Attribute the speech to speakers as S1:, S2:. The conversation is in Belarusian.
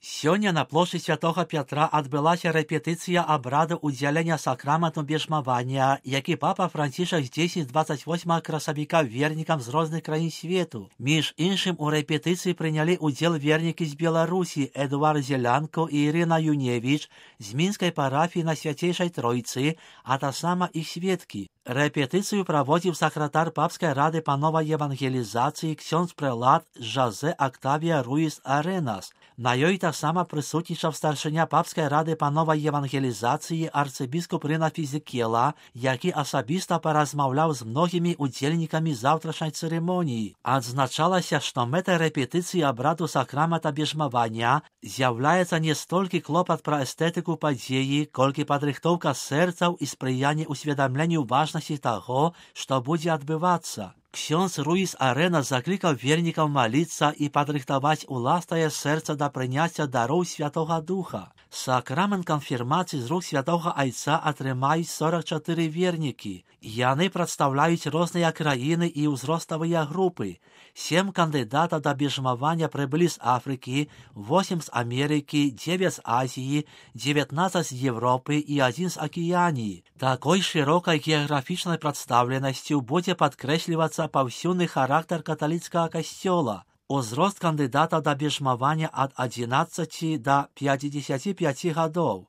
S1: Сёння на плошчы святога Пятра адбылася рэпетыцыя абраду ўдзялення сакраменту бежмавання, які папа Францішак здзейсніць 28 красавіка вернікам з розных краін свету. Між іншым, у рэпетыцыі прынялі ўдзел вернікі з Беларусі Эдуард Зелянко і Ірына Юневіч з мінскай парафіі на Свяцейшай Тройцы, а таксама іх сведкі. Рэпетыцыю праводзіў сакратар папскай рады па новай евангелізацыі ксёндз прэлат Жозе Октавія Руіс Аренас. На ёй таксама прысутнічаў старшыня папскай рады па новай евангелізацыі арцыбіскуп Рына Фізікела, які асабіста паразмаўляў з многімі удзельнікамі заўтрашняй цырымоніі. Адзначалася, што мэтай рэпетыцыі абраду сакрамента бежмавання з'яўляецца не столькі клопат пра эстэтыку падзеі, колькі падрыхтоўка сэрцаў і спрыянне ўсведамленню важнасці таго, што будзе адбывацца. Ксёндз Руіс Аренас заклікаў вернікаў маліцца і падрыхтаваць уласнае сэрца да прыняцця дароў Святога Духа. Сакрамент канфірмацыі з рук святога Айца атрымаюць 44 вернікі. Яны прадстаўляюць розныя краіны і ўзроставыя групы. 7 кандыдатаў да бежмавання прыбылі з Афрыкі, 8 з Амерыкі, 9 з Азіі, 19 з Европы і 1 з Акіяніі. Такой шырокай геаграфічнай прадстаўленасцю будзе падкрэслівацца паўсюдны характар каталіцкага касцёла. Узрост кандыдатаў да бежмавання ад 11 да 55 гадоў.